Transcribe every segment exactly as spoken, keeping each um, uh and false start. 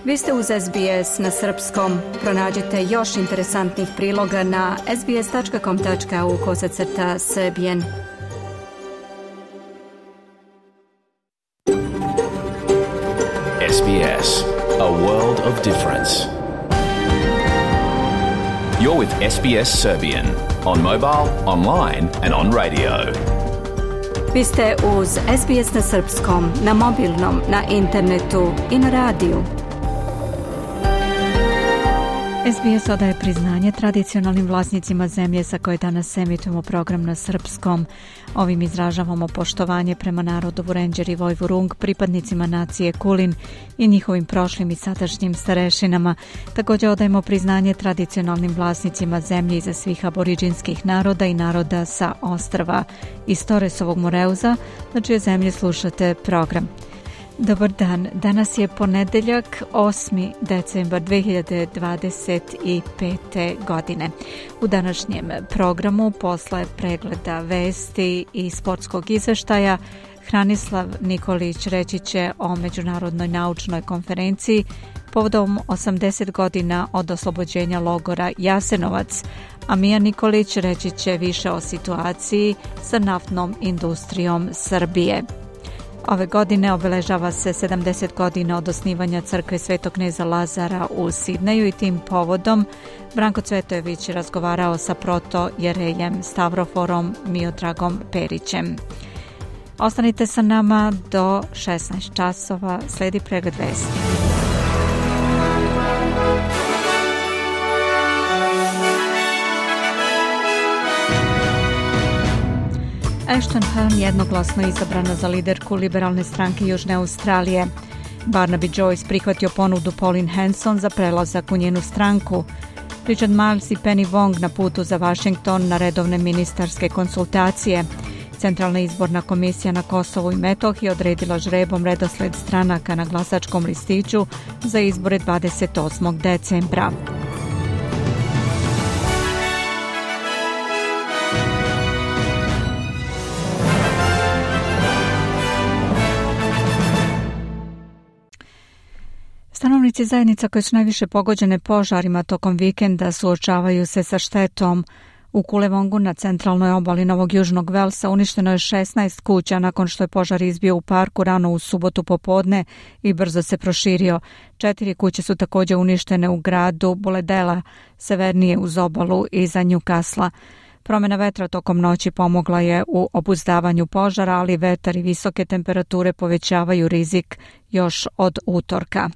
Vi ste uz S B S na srpskom. Pronađite još interesantnih priloga na sbs.com tačka au kosacrta srbijen. S B S, a world of difference. You're with S B S Serbian on mobile, online and on radio. Vi ste uz S B S na srpskom, na mobilnom, na internetu i na radiju. S B S odaje priznanje tradicionalnim vlasnicima zemlje sa koje danas emitujemo program na srpskom. Ovim izražavamo poštovanje prema narodu Vurenđer i Vojvurung, pripadnicima nacije Kulin i njihovim prošlim i sadašnjim starešinama. Također odajemo priznanje tradicionalnim vlasnicima zemlje iza svih aboriđinskih naroda i naroda sa ostrva iz Toresovog Moreuza, na čije zemlje slušate program. Dobar dan, danas je ponedeljak, osmi decembar dve hiljade dvadeset pete. godine. U današnjem programu, posle pregleda vesti i sportskog izveštaja, Hranislav Nikolić reći će o Međunarodnoj naučnoj konferenciji povodom osamdeset godina od oslobođenja logora Jasenovac, a Mija Nikolić reći će više o situaciji sa naftnom industrijom Srbije. Ove godine obeležava se sedamdeset godina od osnivanja crkve Svetog kneza Lazara u Sidneju i tim povodom Branko Cvetojević je razgovarao sa protojerejem Stavroforom Miodragom Perićem. Ostanite sa nama do šesnaest časova, sledi pregled vesti. Ashton Hearn jednoglasno izabrana za liderku liberalne stranke Južne Australije. Barnaby Joyce prihvatio ponudu Pauline Hanson za prelazak u njenu stranku. Richard Marles i Penny Wong na putu za Washington na redovne ministarske konsultacije. Centralna izborna komisija na Kosovu i Metohiji odredila žrebom redosled stranaka na glasačkom listiću za izbore dvadeset osmog decembra. Stanovnici zajednica koje su najviše pogođene požarima tokom vikenda suočavaju se sa štetom. U Kulevongu na centralnoj obali Novog Južnog Velsa uništeno je šesnaest kuća nakon što je požar izbio u parku rano u subotu popodne i brzo se proširio. Četiri kuće su također uništene u gradu Boledela, severnije uz obalu iza Newcastle. Promjena vetra tokom noći pomogla je u obuzdavanju požara, ali vetar i visoke temperature povećavaju rizik još od utorka.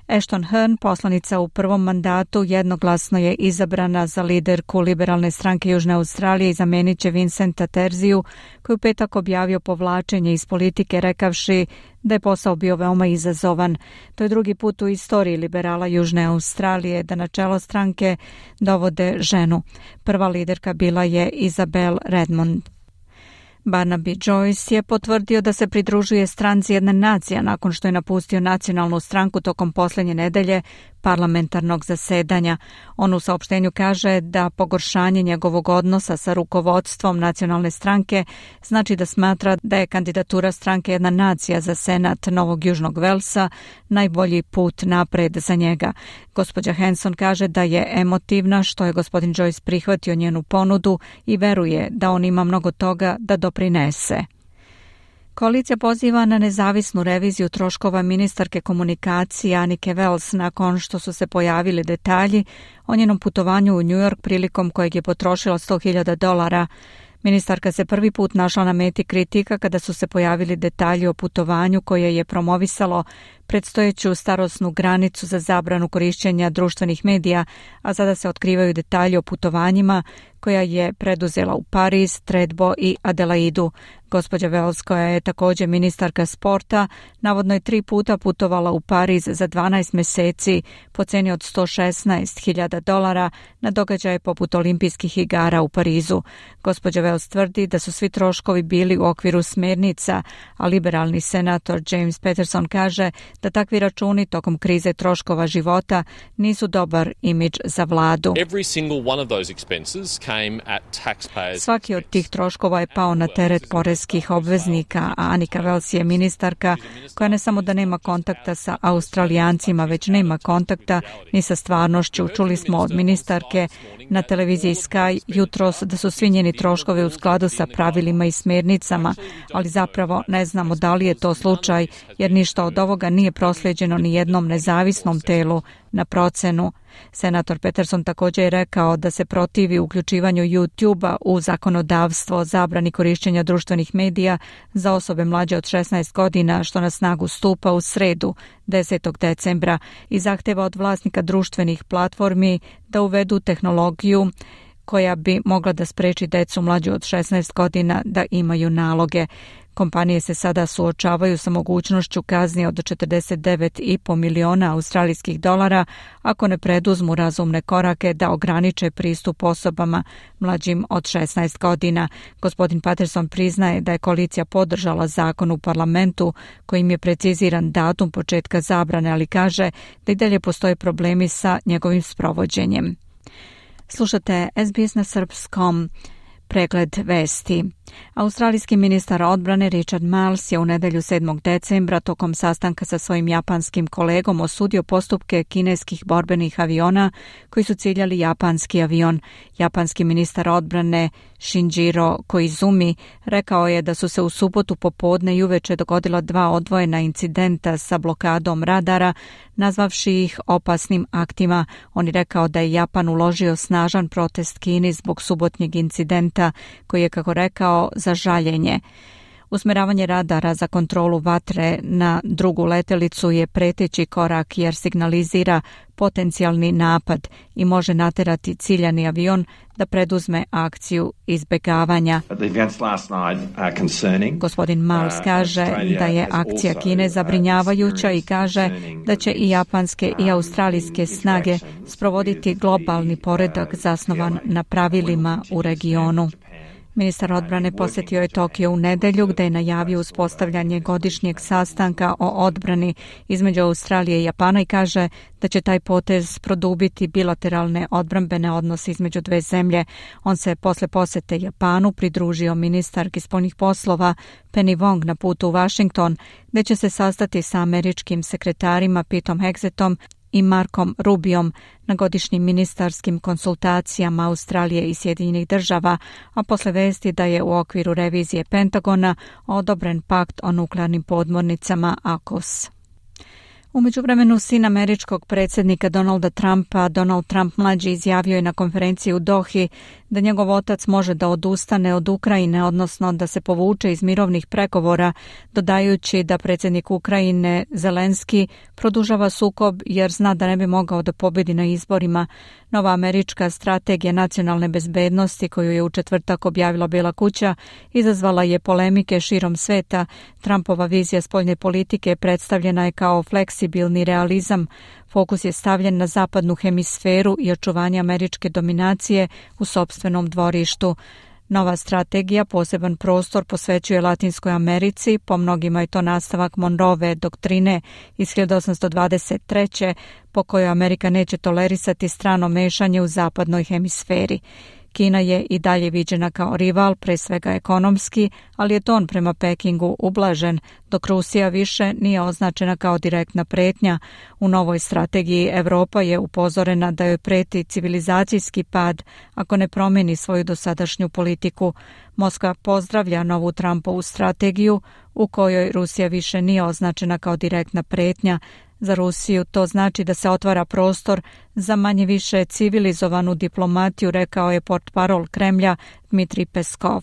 Ashton Hearn, poslanica u prvom mandatu, jednoglasno je izabrana za liderku liberalne stranke Južne Australije i zamenit će Vincenta Terziju, koji u petak objavio povlačenje iz politike rekavši da je posao bio veoma izazovan. To je drugi put u istoriji liberala Južne Australije da na čelo stranke dovode ženu. Prva liderka bila je Isabel Redmond. Barnaby Joyce je potvrdio da se pridružuje stranci Jedna nacija nakon što je napustio nacionalnu stranku tokom posljednje nedelje parlamentarnog zasedanja. On u saopštenju kaže da pogoršanje njegovog odnosa sa rukovodstvom nacionalne stranke znači da smatra da je kandidatura stranke Jedna nacija za senat Novog Južnog Velsa najbolji put napred za njega. Gospođa Hanson kaže da je emotivna što je gospodin Joyce prihvatio njenu ponudu i veruje da on ima mnogo toga da doprinese. Koalicija poziva na nezavisnu reviziju troškova ministarke komunikacije Anike Wells nakon što su se pojavili detalji o njenom putovanju u New York prilikom kojeg je potrošila sto hiljada dolara. Ministarka se prvi put našla na meti kritika kada su se pojavili detalji o putovanju koje je promovisalo predstojeću starosnu granicu za zabranu korišćenja društvenih medija, a sada se otkrivaju detalji o putovanjima koja je preduzela u Pariz, Tredbo i Adelaidu. Gospođa Wells, koja je također ministarka sporta, navodno je tri puta putovala u Pariz za dvanaest mjeseci po ceni od sto šesnaest hiljada dolara na događaje poput olimpijskih igara u Parizu. Gospođa Wells tvrdi da su svi troškovi bili u okviru smjernica, a liberalni senator James Patterson kaže da takvi računi tokom krize troškova života nisu dobar imidž za vladu. Every single one of those expenses Svaki od tih troškova je pao na teret poreskih obveznika, a Annika Wells je ministarka koja ne samo da nema kontakta sa Australijancima, već nema kontakta ni sa stvarnošću. Čuli smo od ministarke na televiziji Sky jutros da su svi njeni troškovi u skladu sa pravilima i smjernicama, ali zapravo ne znamo da li je to slučaj, jer ništa od ovoga nije proslijeđeno ni jednom nezavisnom telu na procenu. Senator Peterson također je rekao da se protivi uključivanju YouTube-a u zakonodavstvo o zabrani korišćenja društvenih medija za osobe mlađe od šesnaest godina, što na snagu stupa u sredu desetog decembra i zahteva od vlasnika društvenih platformi da uvedu tehnologiju koja bi mogla da spreči decu mlađu od šesnaest godina da imaju naloge. Kompanije se sada suočavaju sa mogućnošću kazni od četrdeset devet i po miliona australijskih dolara ako ne preduzmu razumne korake da ograniče pristup osobama mlađim od šesnaest godina. Gospodin Patterson priznaje da je koalicija podržala zakon u parlamentu kojim je preciziran datum početka zabrane, ali kaže da i dalje postoje problemi sa njegovim sprovođenjem. Slušate S B S na srpskom. Pregled vesti. Australijski ministar odbrane Richard Marles je u nedjelju sedmog decembra tokom sastanka sa svojim japanskim kolegom osudio postupke kineskih borbenih aviona koji su ciljali japanski avion. Japanski ministar odbrane Shinjiro Koizumi rekao je da su se u subotu popodne i uveče dogodila dva odvojena incidenta sa blokadom radara, nazvavši ih opasnim aktima. On je rekao da je Japan uložio snažan protest Kini zbog subotnjeg incidenta koji je, kako rekao, za žaljenje. Usmeravanje radara za kontrolu vatre na drugu letelicu je preteći korak jer signalizira potencijalni napad i može naterati ciljani avion da preduzme akciju izbjegavanja. Gospodin Marles kaže da je akcija Kine zabrinjavajuća i kaže da će i japanske i australijske snage sprovoditi globalni poredak zasnovan na pravilima u regionu. Ministar odbrane posjetio je Tokio u nedjelju gdje je najavio uspostavljanje godišnjeg sastanka o odbrani između Australije i Japana i kaže da će taj potez produbiti bilateralne odbrambene odnose između dve zemlje. On se posle posjete Japanu pridružio ministarki spoljnih poslova Penny Wong na putu u Washington, gdje će se sastati sa američkim sekretarima Petom Hegsetom i Markom Rubiom na godišnjim ministarskim konsultacijama Australije i Sjedinjenih država, a posle vesti da je u okviru revizije Pentagona odobren pakt o nuklearnim podmornicama A K U S. U međuvremenu sin američkog predsjednika Donalda Trumpa, Donald Trump mlađi, izjavio je na konferenciji u Dohi da njegov otac može da odustane od Ukrajine, odnosno da se povuče iz mirovnih pregovora, dodajući da predsjednik Ukrajine Zelenski produžava sukob jer zna da ne bi mogao da pobjedi na izborima. Nova američka strategija nacionalne bezbednosti koju je u četvrtak objavila Bijela kuća izazvala je polemike širom sveta. Trumpova vizija spoljne politike predstavljena je kao fleksibilni realizam. Fokus je stavljen na zapadnu hemisferu i očuvanje američke dominacije u sopstvenom dvorištu. Nova strategija poseban prostor posvećuje Latinskoj Americi, po mnogima je to nastavak Monroeve doktrine iz hiljadu osamsto dvadeset treće po kojoj Amerika neće tolerisati strano mešanje u zapadnoj hemisferi. Kina je i dalje viđena kao rival, pre svega ekonomski, ali je ton prema Pekingu ublažen, dok Rusija više nije označena kao direktna pretnja. U novoj strategiji Evropa je upozorena da joj preti civilizacijski pad ako ne promijeni svoju dosadašnju politiku. Moskva pozdravlja novu Trumpovu strategiju u kojoj Rusija više nije označena kao direktna pretnja. Za Rusiju to znači da se otvara prostor za manje više civilizovanu diplomatiju, rekao je portparol Kremlja Dmitrij Peskov.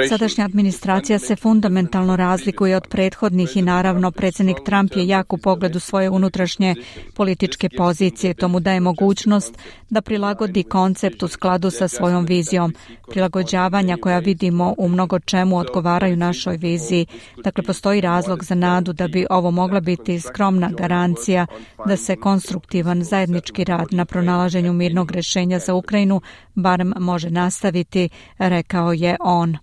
Sadašnja administracija se fundamentalno razlikuje od prethodnih i naravno predsjednik Trump je jak u pogledu svoje unutrašnje političke pozicije. To mu daje mogućnost da prilagodi koncept u skladu sa svojom vizijom. Prilagođavanja koja vidimo u mnogo čemu odgovaraju našoj viziji. Dakle, postoji razlog za nadu da bi ovo mogla biti skromna garancija da se konstruktivan zajednički rad na pronalaženju mirnog rješenja za Ukrajinu barem može nastaviti, rekao je on.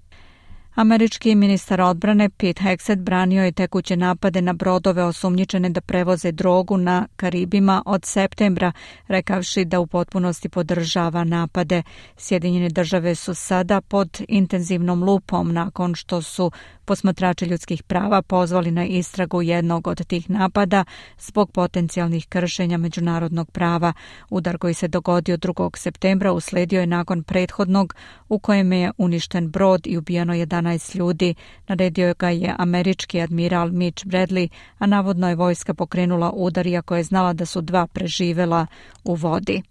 Američki ministar odbrane Pete Hegseth branio je tekuće napade na brodove osumnjičene da prevoze drogu na Karibima od septembra, rekavši da u potpunosti podržava napade. Sjedinjene države su sada pod intenzivnom lupom nakon što su posmatrači ljudskih prava pozvali na istragu jednog od tih napada zbog potencijalnih kršenja međunarodnog prava. Udar koji se dogodio drugog septembra usledio je nakon prethodnog u kojem je uništen brod i ubijeno jedanaest ljudi. Naredio ga je američki admiral Mitch Bradley, a navodno je vojska pokrenula udar iako je znala da su dva preživela u vodi.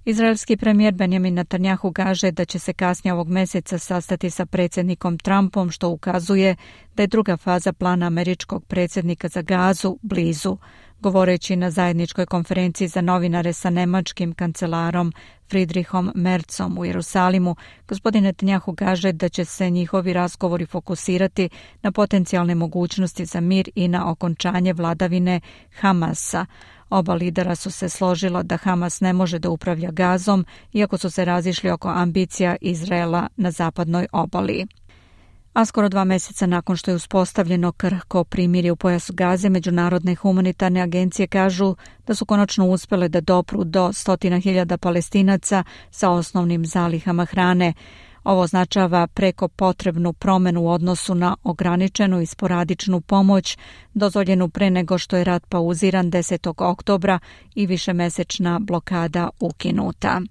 Izraelski premijer Benjamin Netanjahu kaže da će se kasnije ovog mjeseca sastati sa predsjednikom Trumpom, što ukazuje da je druga faza plana američkog predsjednika za Gazu blizu. Govoreći na zajedničkoj konferenciji za novinare sa nemačkim kancelarom Friedrichom Merzom u Jerusalimu, gospodin Netanjahu kaže da će se njihovi razgovori fokusirati na potencijalne mogućnosti za mir i na okončanje vladavine Hamasa. Oba lidera su se složila da Hamas ne može da upravlja Gazom, iako su se razišli oko ambicija Izraela na zapadnoj obali. A skoro dva mjeseca nakon što je uspostavljeno krhko primirje u pojasu Gaze, međunarodne humanitarne agencije kažu da su konačno uspjele da dopru do stotina hiljada Palestinaca sa osnovnim zalihama hrane. Ovo označava preko potrebnu promjenu u odnosu na ograničenu i sporadičnu pomoć dozvoljenu pre nego što je rat pauziran desetog oktobra i višemesečna blokada ukinuta.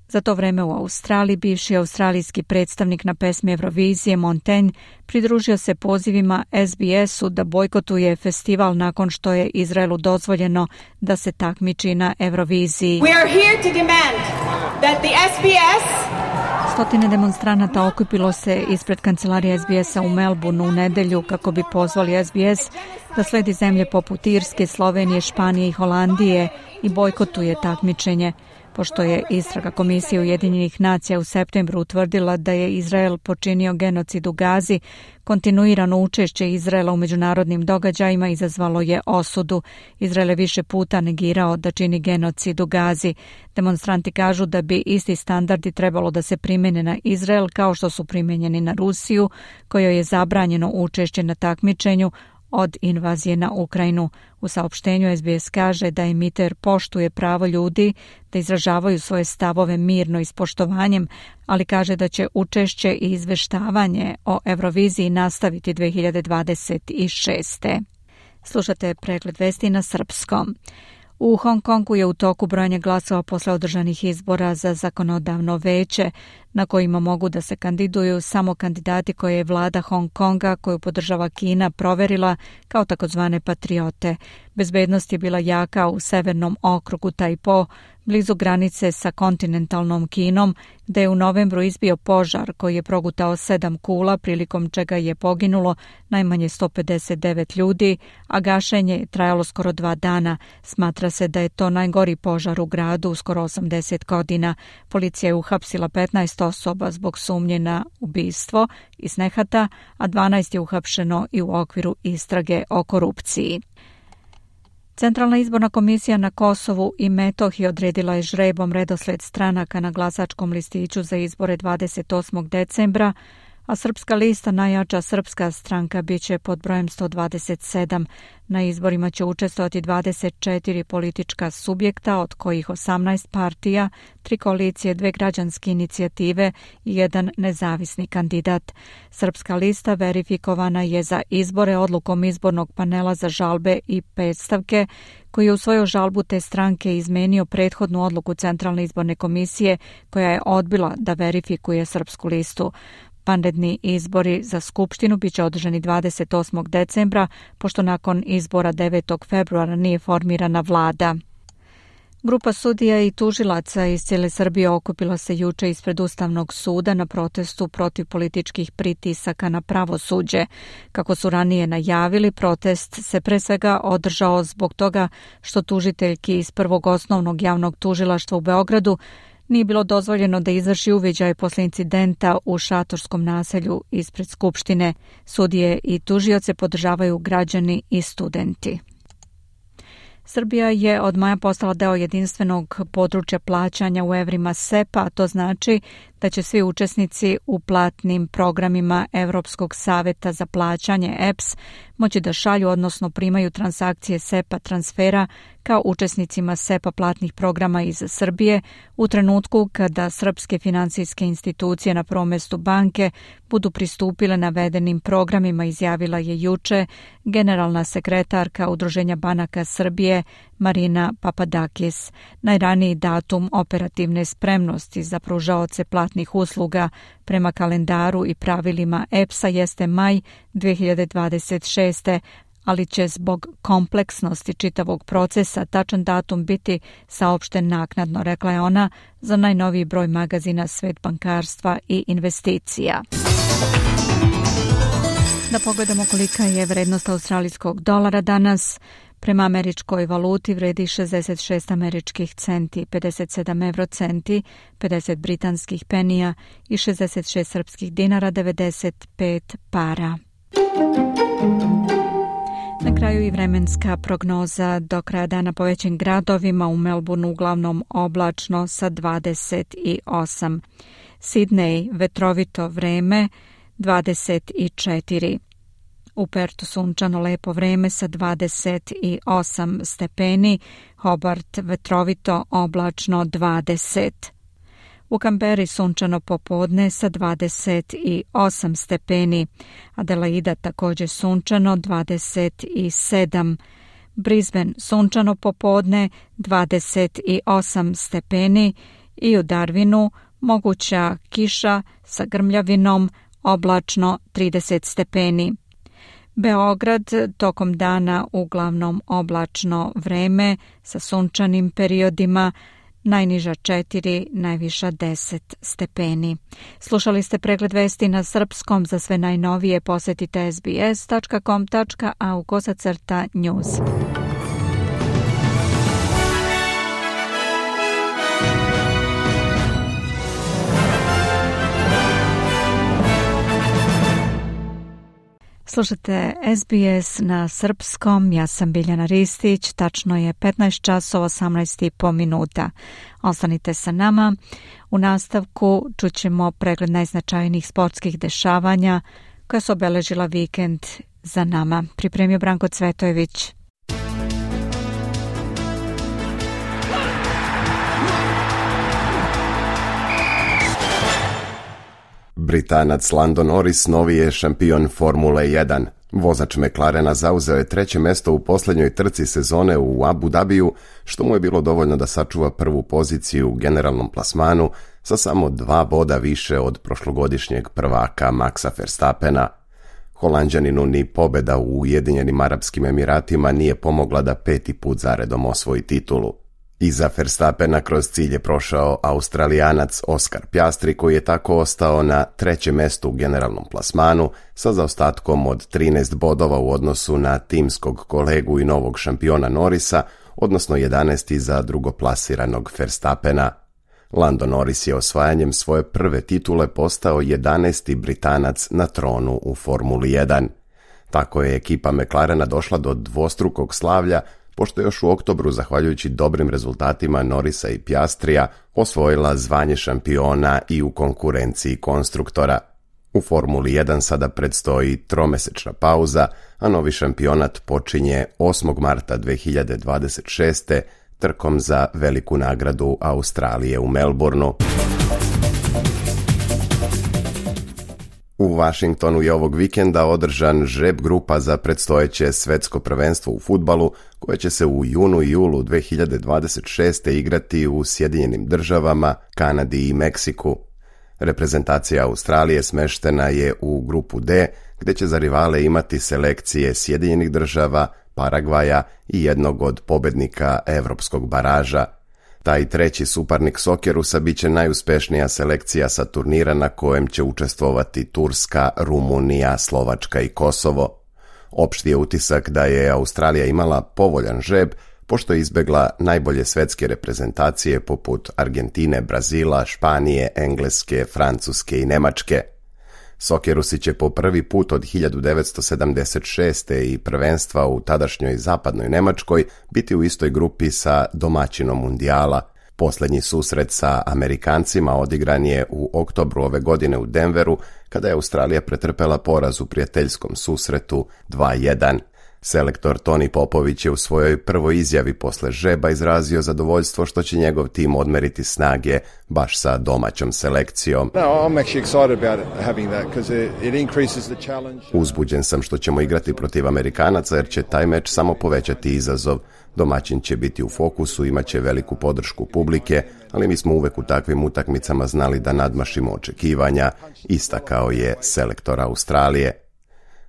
Za to vreme u Australiji bivši australijski predstavnik na pesmi Eurovizije Montaigne pridružio se pozivima S B S-u da bojkotuje festival nakon što je Izraelu dozvoljeno da se takmiči na Euroviziji. We are here to demand that the S B S Stotine demonstranata okupilo se ispred kancelarije S B S-a u Melbourneu u nedelju kako bi pozvali S B S da sledi zemlje poput Irske, Slovenije, Španije i Holandije i bojkotuje takmičenje. Pošto je istraga Komisije Ujedinjenih nacija u septembru utvrdila da je Izrael počinio genocid u Gazi, kontinuirano učešće Izraela u međunarodnim događajima izazvalo je osudu. Izrael je više puta negirao da čini genocid u Gazi. Demonstranti kažu da bi isti standardi trebalo da se primjene na Izrael kao što su primjenjeni na Rusiju, kojoj je zabranjeno učešće na takmičenju od invazije na Ukrajinu. U saopštenju S B S kaže da emiter poštuje pravo ljudi da izražavaju svoje stavove mirno i s poštovanjem, ali kaže da će učešće i izveštavanje o Euroviziji nastaviti dve hiljade dvadeset šeste. Slušate pregled vesti na srpskom. U Hong Kongu je u toku brojanje glasova posle održanih izbora za zakonodavno veće, na kojima mogu da se kandiduju samo kandidati koje je vlada Hong Konga, koju podržava Kina, proverila kao takozvane patriote. Bezbednost je bila jaka u severnom okrugu Tajpo, blizu granice sa kontinentalnom Kinom, gde je u novembru izbio požar koji je progutao sedam kula, prilikom čega je poginulo najmanje sto pedeset devet ljudi, a gašenje je trajalo skoro dva dana. Smatra se da je to najgori požar u gradu u skoro osamdeset godina. Policija je uhapsila petnaest osoba zbog sumnje na ubistvo iz nehata, a dvanaest je uhapšeno i u okviru istrage o korupciji. Centralna izborna komisija na Kosovu i Metohiji odredila je žrebom redosled stranaka na glasačkom listiću za izbore dvadeset osmog decembra, a Srpska lista, najjača srpska stranka, bit će pod brojem sto dvadeset sedam. Na izborima će učestvovati dvadeset četiri politička subjekta, od kojih osamnaest partija, tri koalicije, dve građanske inicijative i jedan nezavisni kandidat. Srpska lista verifikovana je za izbore odlukom izbornog panela za žalbe i predstavke, koji je u svoju žalbu te stranke izmenio prethodnu odluku Centralne izborne komisije, koja je odbila da verifikuje Srpsku listu. Vanredni izbori za Skupštinu biće održani dvadeset osmog decembra, pošto nakon izbora devetog februara nije formirana vlada. Grupa sudija i tužilaca iz cijele Srbije okupila se juče ispred Ustavnog suda na protestu protiv političkih pritisaka na pravosuđe. Kako su ranije najavili, protest se pre svega održao zbog toga što tužiteljki iz Prvog osnovnog javnog tužilaštva u Beogradu nije bilo dozvoljeno da izvrši uviđaj posle incidenta u šatorskom naselju ispred Skupštine. Sudije i tužioce podržavaju građani i studenti. Srbija je od maja postala deo jedinstvenog područja plaćanja u evrima S E P A, a to znači da će svi učesnici u platnim programima Evropskog saveta za plaćanje E P S moći da šalju, odnosno primaju transakcije SEPA transfera kao učesnicima SEPA platnih programa iz Srbije u trenutku kada srpske finansijske institucije, na prvom mestu banke, budu pristupile navedenim programima, izjavila je juče generalna sekretarka Udruženja banaka Srbije Marina Papadakis. Najraniji datum operativne spremnosti za pružaoce platnih usluga prema kalendaru i pravilima E P S-a jeste maj dve hiljade dvadeset šeste. ali će zbog kompleksnosti čitavog procesa tačan datum biti saopšten naknadno, rekla je ona za najnoviji broj magazina Svet bankarstva i investicija. Da pogledamo kolika je vrednost australijskog dolara danas. Prema američkoj valuti vredi šezdeset šest američkih centi, pedeset sedam evrocenti, pedeset britanskih penija i šezdeset šest srpskih dinara, devedeset pet para. Na kraju i vremenska prognoza. Do kraja dana po većim gradovima, u Melbourneu uglavnom oblačno sa dvadeset osam. Sidney vetrovito vreme dvadeset četiri. U Pertu sunčano lepo vreme sa dvadeset osam stepeni, Hobart vetrovito oblačno dvadeset. U Kamberi sunčano popodne sa dvadeset osam stepeni, Adelaida također sunčano dvadeset sedam. Brisbane sunčano popodne dvadeset osam stepeni i u Darwinu moguća kiša sa grmljavinom, oblačno trideset stepeni. Beograd tokom dana uglavnom oblačno vreme sa sunčanim periodima, najniža četiri, najviša deset stepeni. Slušali ste pregled vesti na srpskom. Za sve najnovije posetite es bi es tačka com tačka a u kosacrta news. Slušate es bi es na srpskom, ja sam Biljana Ristić, tačno je petnaest časova osamnaest i po minuta. Ostanite sa nama. U nastavku čućemo pregled najznačajnijih sportskih dešavanja koja su obeležila vikend za nama. Pripremio Branko Cvetojević. Britanac Lando Norris novi je šampion Formule jedan. Vozač McLarena zauzeo je treće mesto u posljednjoj trci sezone u Abu Dhabiju, što mu je bilo dovoljno da sačuva prvu poziciju u generalnom plasmanu sa samo dva boda više od prošlogodišnjeg prvaka Maxa Verstappena. Holanđaninu ni pobjeda u Ujedinjenim Arapskim Emiratima nije pomogla da peti put zaredom osvoji titulu. Iza Verstappena kroz cilj je prošao Australijanac Oscar Piastri, koji je tako ostao na trećem mestu u generalnom plasmanu sa zaostatkom od trinaest bodova u odnosu na timskog kolegu i novog šampiona Norrisa, odnosno jedanaest za drugoplasiranog Verstappena. Lando Norris je osvajanjem svoje prve titule postao jedanaesti Britanac na tronu u Formuli jedan. Tako je ekipa McLarena došla do dvostrukog slavlja, pošto još u oktobru, zahvaljujući dobrim rezultatima Norrisa i Piastrija, osvojila zvanje šampiona i u konkurenciji konstruktora. U Formuli jedan sada predstoji tromesečna pauza, a novi šampionat počinje osmog marta dve hiljade dvadeset šeste. trkom za veliku nagradu Australije u Melbourneu. U Washingtonu je ovog vikenda održan žreb grupa za predstojeće svetsko prvenstvo u fudbalu, koje će se u junu i julu dve hiljade dvadeset šeste. igrati u Sjedinjenim državama, Kanadi i Meksiku. Reprezentacija Australije smeštena je u grupu D, gdje će za rivale imati selekcije Sjedinjenih država, Paragvaja i jednog od pobednika evropskog baraža. Taj treći suparnik Sokerusa bit će najuspješnija selekcija sa turnira na kojem će učestvovati Turska, Rumunija, Slovačka i Kosovo. Opšti je utisak da je Australija imala povoljan žreb, pošto je izbegla najbolje svetske reprezentacije poput Argentine, Brazila, Španije, Engleske, Francuske i Nemačke. Sokerusi će po prvi put od hiljadu devetsto sedamdeset šeste. i prvenstva u tadašnjoj zapadnoj Nemačkoj biti u istoj grupi sa domaćinom mundijala. Posljednji susret sa Amerikancima odigran je u oktobru ove godine u Denveru, kada je Australija pretrpela poraz u prijateljskom susretu dva jedan. Selektor Toni Popović je u svojoj prvoj izjavi posle žreba izrazio zadovoljstvo što će njegov tim odmeriti snage baš sa domaćom selekcijom. Uzbuđen sam što ćemo igrati protiv Amerikanaca jer će taj meč samo povećati izazov. Domaćin će biti u fokusu, imat će veliku podršku publike, ali mi smo uvek u takvim utakmicama znali da nadmašimo očekivanja, istakao je selektor Australije.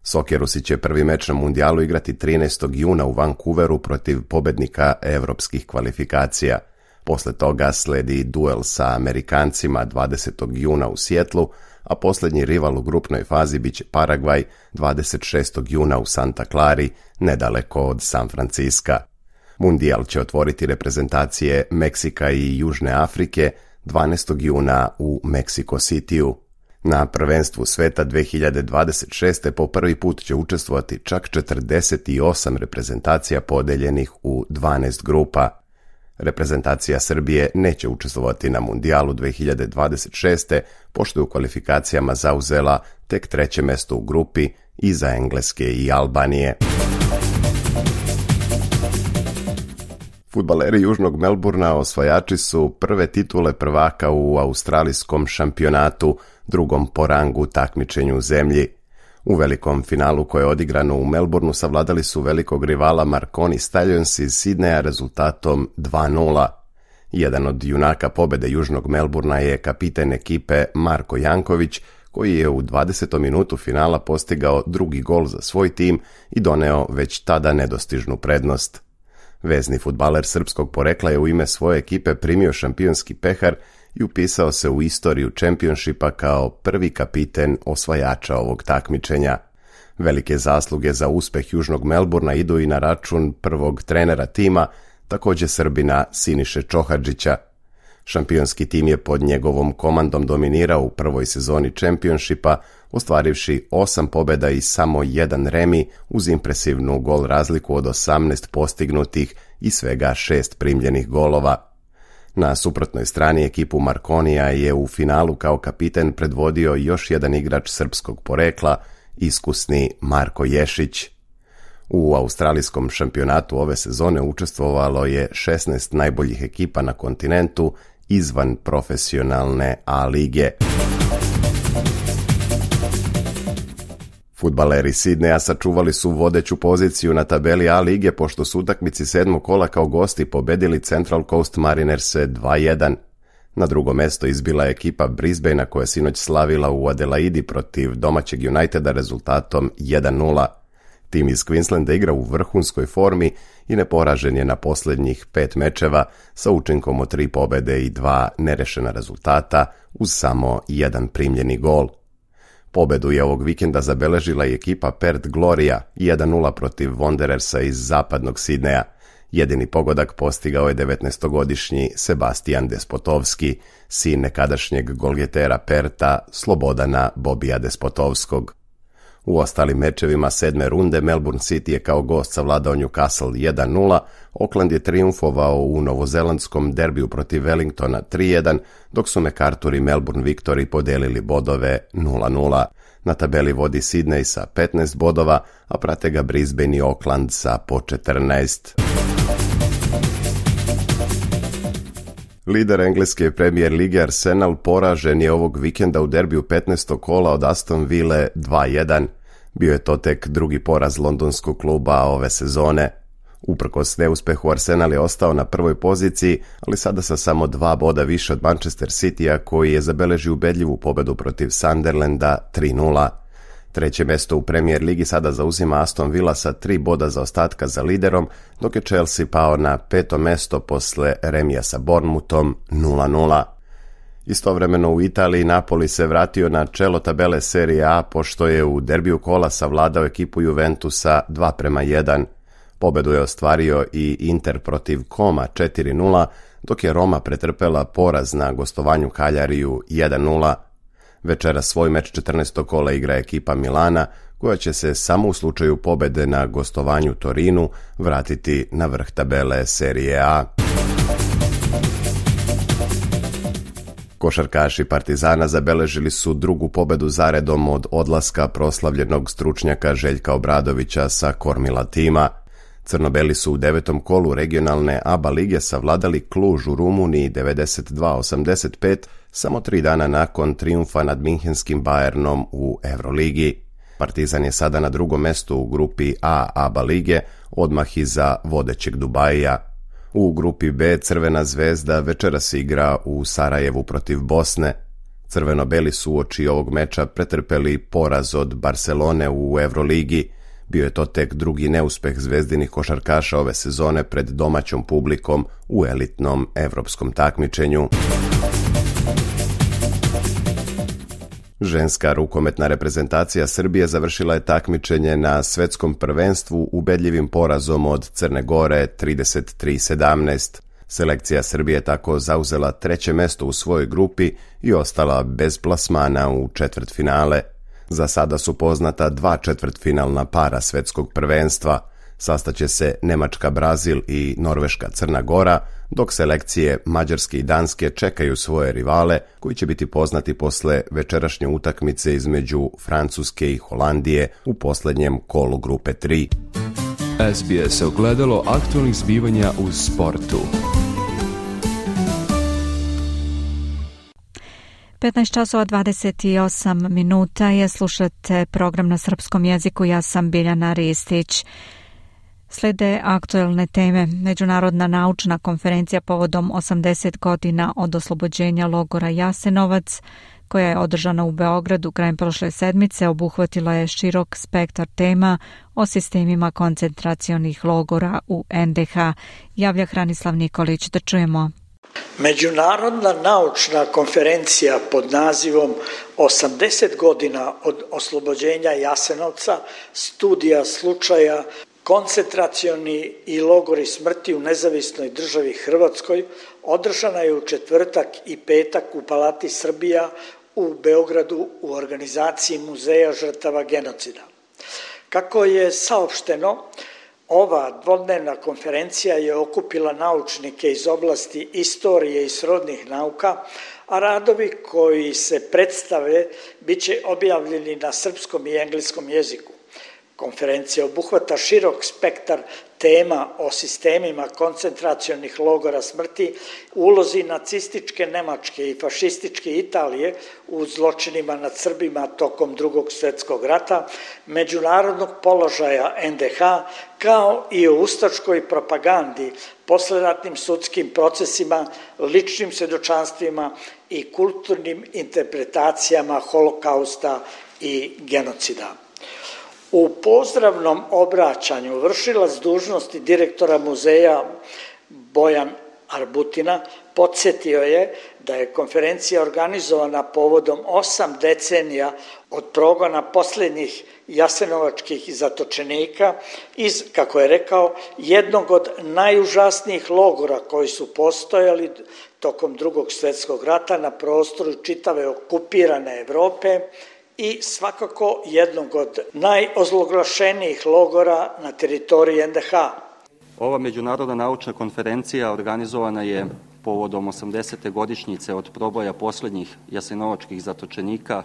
Sokerusi će prvi meč na mundijalu igrati trinaestog juna u Vancouveru protiv pobednika evropskih kvalifikacija. Posle toga sledi duel sa Amerikancima dvadesetog juna u Sijetlu, a posljednji rival u grupnoj fazi biće Paragvaj dvadeset šestog juna u Santa Clari, nedaleko od San Franciska. Mundijal će otvoriti reprezentacije Meksika i Južne Afrike dvanaestog juna u Mexico Cityu. Na prvenstvu sveta dve hiljade dvadeset šeste. po prvi put će učestvovati čak četrdeset osam reprezentacija podeljenih u dvanaest grupa. Reprezentacija Srbije neće učestvovati na mundijalu dve hiljade dvadeset šeste. pošto je u kvalifikacijama zauzela tek treće mesto u grupi iza Engleske i Albanije. Fudbaleri Južnog Melburna osvajači su prve titule prvaka u australijskom šampionatu, drugom po rangu takmičenju u zemlji. U velikom finalu koje je odigrano u Melbourneu savladali su velikog rivala Marconi Stallions iz Sidneja rezultatom dva nula. Jedan od junaka pobede Južnog Melburna je kapiten ekipe Marko Janković, koji je u dvadesetom minutu finala postigao drugi gol za svoj tim i doneo već tada nedostižnu prednost. Vezni fudbaler srpskog porekla je u ime svoje ekipe primio šampionski pehar i upisao se u istoriju čempionšipa kao prvi kapiten osvajača ovog takmičenja. Velike zasluge za uspeh Južnog Melburna idu i na račun prvog trenera tima, također Srbina Siniše Čohadžića. Šampionski tim je pod njegovom komandom dominirao u prvoj sezoni čempionšipa, ostvarivši osam pobjeda i samo jedan remi uz impresivnu gol razliku od osamnaest postignutih i svega šest primljenih golova. Na suprotnoj strani ekipu Marconija je u finalu kao kapiten predvodio još jedan igrač srpskog porekla, iskusni Marko Ješić. U australijskom šampionatu ove sezone učestvovalo je šesnaest najboljih ekipa na kontinentu izvan profesionalne A lige. Fudbaleri Sidneja sačuvali su vodeću poziciju na tabeli A lige pošto su utakmici sedmog kola kao gosti pobedili Central Coast Marinerse dva jedan. Na drugo mesto izbila je ekipa Brisbanea koja je sinoć slavila u Adelaidi protiv domaćeg Uniteda rezultatom jedan nula. Tim iz Queenslanda igra u vrhunskoj formi i neporažen je na posljednjih pet mečeva sa učinkom od tri pobede i dva nerešena rezultata uz samo jedan primljeni gol. Pobedu je ovog vikenda zabeležila i ekipa Perth Gloria jedan nula protiv Wanderersa iz zapadnog Sidneja. Jedini pogodak postigao je devetnaestogodišnji Sebastian Despotovski, sin nekadašnjeg golgetera Perta Slobodana Bobija Despotovskog. U ostalim mečevima sedme runde Melbourne City je kao gost savladao Newcastle jedan nula, Auckland je triumfovao u novozelandskom derbiju protiv Wellingtona tri jedan, dok su MacArthur i Melbourne Victory podelili bodove nula nula. Na tabeli vodi Sydney sa petnaest bodova, a prate ga Brisbane i Auckland sa po četrnaest. Lider engleske Premier lige Arsenal poražen je ovog vikenda u derbiju petnaestog kola od Aston Ville dva jedan. Bio je to tek drugi poraz londonskog kluba ove sezone. Uprkos neuspehu Arsenal je ostao na prvoj poziciji, ali sada sa samo dva boda više od Manchester Citya koji je zabeležio ubedljivu pobedu protiv Sunderlanda tri nula. Treće mesto u Premier ligi sada zauzima Aston Villa sa tri boda zaostatka za liderom, dok je Chelsea pao na peto mesto posle remija sa Bournemouthom nula nula. Istovremeno u Italiji Napoli se vratio na čelo tabele Serie A pošto je u derbiju kola savladao ekipu Juventusa dva prema jedan. Pobedu je ostvario i Inter protiv Koma četiri nula, dok je Roma pretrpela poraz na gostovanju Kaljariju jedan nula. Večera svoj meč četrnaestog kola igra ekipa Milana, koja će se samo u slučaju pobede na gostovanju Torinu vratiti na vrh tabele Serie A. Košarkaši Partizana zabeležili su drugu pobedu zaredom od odlaska proslavljenog stručnjaka Željka Obradovića sa kormila tima. Crnobeli su u devetom kolu regionalne A B A lige savladali Kluž u Rumuniji devedeset dva osamdeset pet samo tri dana nakon trijumfa nad minhenskim Bayernom u Euroligi. Partizan je sada na drugom mestu u grupi A A B A lige, odmah iza vodećeg Dubajija. U grupi B Crvena zvezda večeras igra u Sarajevu protiv Bosne. Crveno-beli su uoči ovog meča pretrpeli poraz od Barcelone u Euroligi. Bio je to tek drugi neuspeh zvezdinih košarkaša ove sezone pred domaćom publikom u elitnom evropskom takmičenju. Ženska rukometna reprezentacija Srbije završila je takmičenje na svetskom prvenstvu ubedljivim porazom od Crne Gore trideset tri sedamnaest. Selekcija Srbije tako zauzela treće mesto u svojoj grupi i ostala bez plasmana u četvrtfinale. Za sada su poznata dva četvrtfinalna para svetskog prvenstva. Sastaće se Nemačka-Brazil i Norveška-Crna Gora, dok selekcije Mađarske i Danske čekaju svoje rivale koji će biti poznati posle večerašnje utakmice između Francuske i Holandije u posljednjem kolu grupe tri. S B S ogledalo aktualnih zbivanja u sportu. petnaest časova dvadeset osam minuta je, slušate program na srpskom jeziku, ja sam Biljana Ristić. Slede aktuelne teme. Međunarodna naučna konferencija povodom osamdeset godina od oslobođenja logora Jasenovac, koja je održana u Beogradu krajem prošle sedmice, obuhvatila je širok spektar tema o sistemima koncentracionih logora u N D H. Javlja Hranislav Nikolić, da čujemo. Međunarodna naučna konferencija pod nazivom osamdeset godina od oslobođenja Jasenovca, studija slučaja koncentracioni i logori smrti u nezavisnoj državi Hrvatskoj održana je u četvrtak i petak u Palati Srbija u Beogradu u organizaciji Muzeja žrtava genocida. Kako je saopšteno, ova dvodnevna konferencija je okupila naučnike iz oblasti istorije i srodnih nauka, a radovi koji se predstave bit će objavljeni na srpskom i engleskom jeziku. Konferencija obuhvata širok spektar tema o sistemima koncentracionih logora smrti, ulozi nacističke Nemačke i fašističke Italije u zločinima nad Srbima tokom Drugog svjetskog rata, međunarodnog položaja N D H, kao i o ustaškoj propagandi, posleratnim sudskim procesima, ličnim svjedočanstvima i kulturnim interpretacijama holokausta i genocida. U pozdravnom obraćanju vršilac dužnosti direktora muzeja Bojan Arbutina podsjetio je da je konferencija organizovana povodom osam decenija od progona posljednjih jasenovačkih zatočenika iz, kako je rekao, jednog od najužasnijih logora koji su postojali tokom Drugog svjetskog rata na prostoru čitave okupirane Evrope i svakako jednog od najozloglašenijih logora na teritoriji N D H. Ova međunarodna naučna konferencija organizovana je povodom osamdesete godišnjice od proboja posljednjih jasenovačkih zatočenika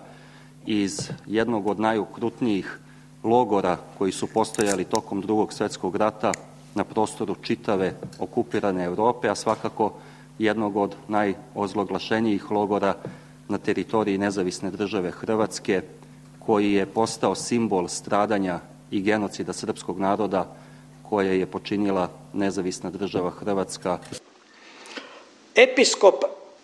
iz jednog od najukrutnijih logora koji su postojali tokom Drugog svjetskog rata na prostoru čitave okupirane Evrope, a svakako jednog od najozloglašenijih logora na teritoriji nezavisne države Hrvatske, koji je postao simbol stradanja i genocida srpskog naroda koje je počinila nezavisna država Hrvatska. Episkop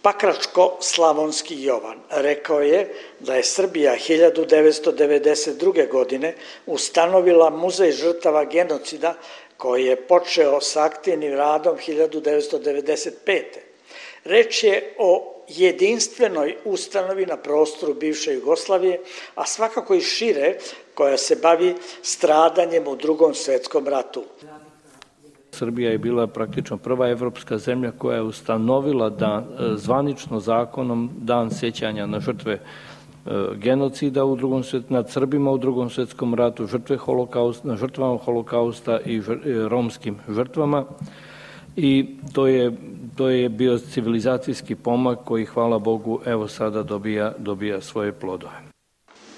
Pakračko-Slavonski Jovan rekao je da je Srbija hiljadu devetsto devedeset druge. godine ustanovila Muzej žrtava genocida koji je počeo sa aktivnim radom hiljadu devetsto devedeset pete. Reč je o jedinstvenoj ustanovi na prostoru bivše Jugoslavije, a svakako i šire, koja se bavi stradanjem u Drugom svjetskom ratu. Srbija je bila praktično prva evropska zemlja koja je ustanovila dan, zvanično zakonom dan sjećanja na žrtve genocida u drugom svjet, nad Srbima u Drugom svjetskom ratu, žrtve holokausta, na žrtvama holokausta i romskim žrtvama. i to je, to je bio civilizacijski pomak koji, hvala Bogu, evo sada dobija, dobija svoje plodove.